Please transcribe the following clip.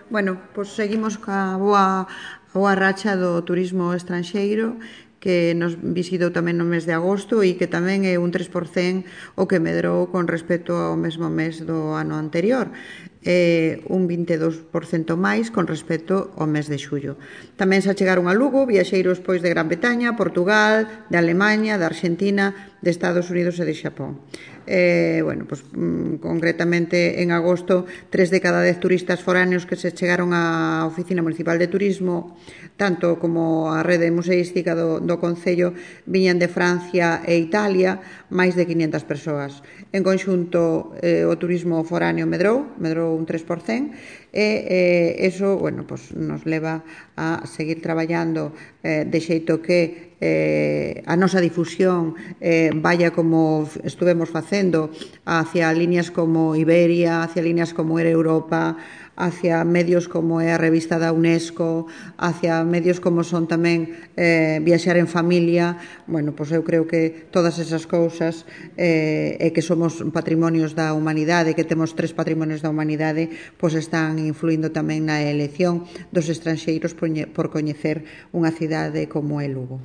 Bueno, pois seguimos ca boa racha do turismo estranxeiro que nos visitou tamén no mes de agosto e que tamén é un 3% o que medrou con respecto ao mesmo mes do ano anterior, un 22% máis con respecto ao mes de xullo. Tamén se achegaron a Lugo viaxeiros pois de Gran Bretaña, Portugal, de Alemaña, de Argentina, de Estados Unidos e de Xapón. Bueno, pues, concretamente en agosto 3 de cada 10 turistas foráneos que se chegaron á Oficina Municipal de Turismo, tanto como a rede museística do Concello, viñan de Francia e Italia, máis de 500 persoas. En conxunto, o turismo foráneo medrou un 3%, e eso, bueno, pues, nos leva a seguir traballando de xeito que a nosa difusión vaya como estuvemos facendo hacia líneas como Iberia, hacia líneas como Era Europa, hacia medios como é a revista da UNESCO, hacia medios como son tamén Viaxar en Familia. Bueno, pois eu creo que todas esas cousas e que somos patrimonios da humanidade, que temos 3 patrimonios da humanidade, pois están influindo tamén na elección dos estranxeiros por coñecer unha cidade como é Lugo.